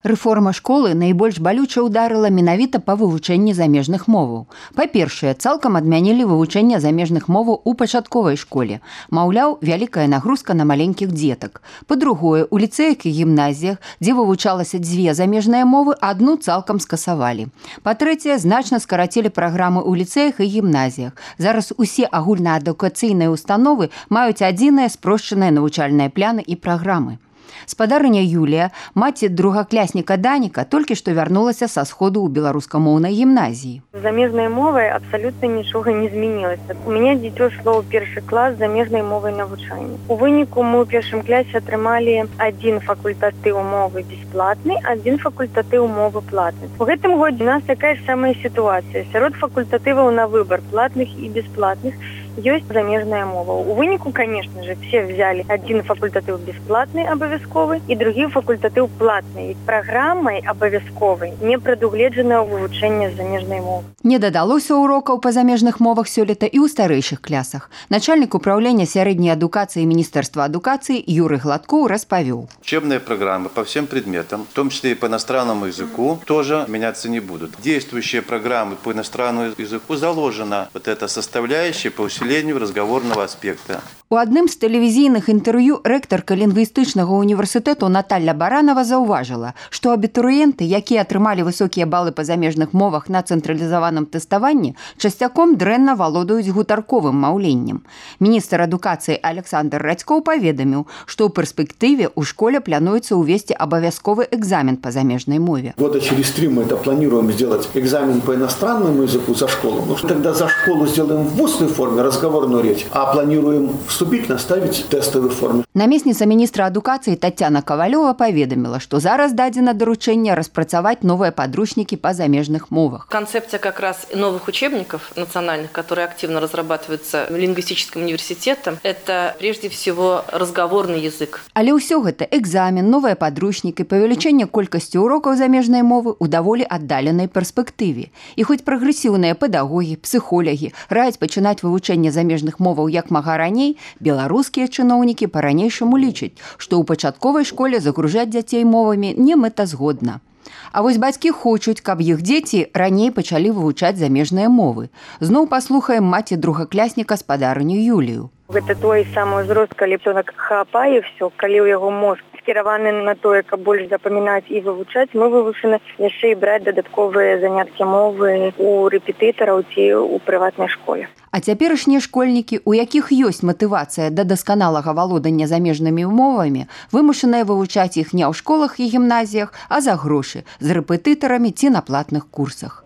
Рэформа школы найбольш балюча ўдарыла менавіта па вывучэнні замежных моваў. Па-першае, цалкам адмянілі вывучэнне замежных моваў у пачатковай школе. Маўляў, вялікая нагрузка на маленькіх дзетак. Па-другое, у ліцэях і гімназіях, дзе вывучалася дзве замежныя мовы, адну цалкам скасавалі. Па-трэцяе, значна скарацілі праграмы ў ліцэях і гімназіях. Зараз усе агульнаадукацыйныя установы маюць адзіныя спрошчаныя навучальныя пляны і праграмы. Спадарыня Юлія, маці другаклясніка Даніка, толькі што вярнулася са сходу ў беларускамоўнай гімназіі. З замежнай мовай абсалютна нічога не змянілася. У мяне дзіцё шло ў першы клас з замежнай мовай навучання. У выніку мы ў першым класе атрымалі адзін факультатыў мовы бясплатны, адзін факультатыў мовы платны. У гэтым годзе у нас такая ж самая сітуацыя. Сярод факультатываў на выбар платных і бясплатных ёсць замежная мова. У выніку, конечно же, все взяли один факультатыў бесплатный абавязковы і другі факультатыў платны. Праграмай абавязковай не прадугледжана вывучэнне замежнай мовы. Не дадалося урокаў па замежных мовах сёлета і ў старэйшых класах. Начальнік управлення сярэдняй адукацыі Міністэрства адукацыі Юрый Гладкоў распавёў. Учебные программы по всем предметам, в том числе и по иностранному языку, тоже меняться не будут. Действующие программы по иностранному языку заложена вот эта составляющая по усилению разговорного аспекта. У адным з тэлевізійных інтэрв'ю рэктарка лінгвістычнага універсітэту Наталья Баранова заўважыла, што абітурыенты, якія атрымалі высокія балы па замежных мовах на цэнтралізаваным тэставанні, часцяком дрэнна валодаюць гутарковым маўленнем. Міністр адукацыі Александр Радзькоў паведаміў, што ў перспектыве ў школе плануецца ўвесці абавязковы экзамен по замежной мове. Года через 3 мы это планируем сделать экзамен по иностранному языку за школу. Ну, тогда за школу сделаем в устной форме разговорную речь, а планируем вступительно ставить тестовую форму. Намесніца міністра адукацыі Тацяна Кавалёва паведаміла, што зараз дадзена даручэнне распрацаваць новыя падручнікі па замежных мовах. Концепция как раз новых учебников национальных, которые активно разрабатываются лингвистическим университетом, это прежде всего разговорный язык. Але ўсё гэта экзамен, новыя падручнікі, павелічэнне колькасці урокаў замежнай мовы ў даволі аддаленай перспектыве. І хоць прагрэсіўныя педагогі, псіхолагі раяць пачынаць вывучэнне замежных моваў як мага раней, беларускія чыноўнікі па-ранейшаму лічаць, што ў пачатковай школе загружаць дзяцей мовамі не мэтазгодна. А вось бацькі хочуць, каб іх дзеці раней пачалі вывучаць замежныя мовы. Зноў паслухаем маці другаклясніка спадарыню Юлію. Гэта той самы ўзрост, калі чалавек хапае ўсё, калі ў яго мозг скіраваны на тое, каб больш запамінаць і вывучаць, мы вывучаны яшчэ і браць дадатковыя заняткі мовы у рэпетытараў ці ў прыватнай школе. А цяперашнія школьнікі, у якіх ёсць матывацыя да дасканалага валодання замежнымі мовамі, вымушаныя вывучаць іх не ў школах і гімназіях, а за грошы, з рэпетытарамі ці на платных курсах.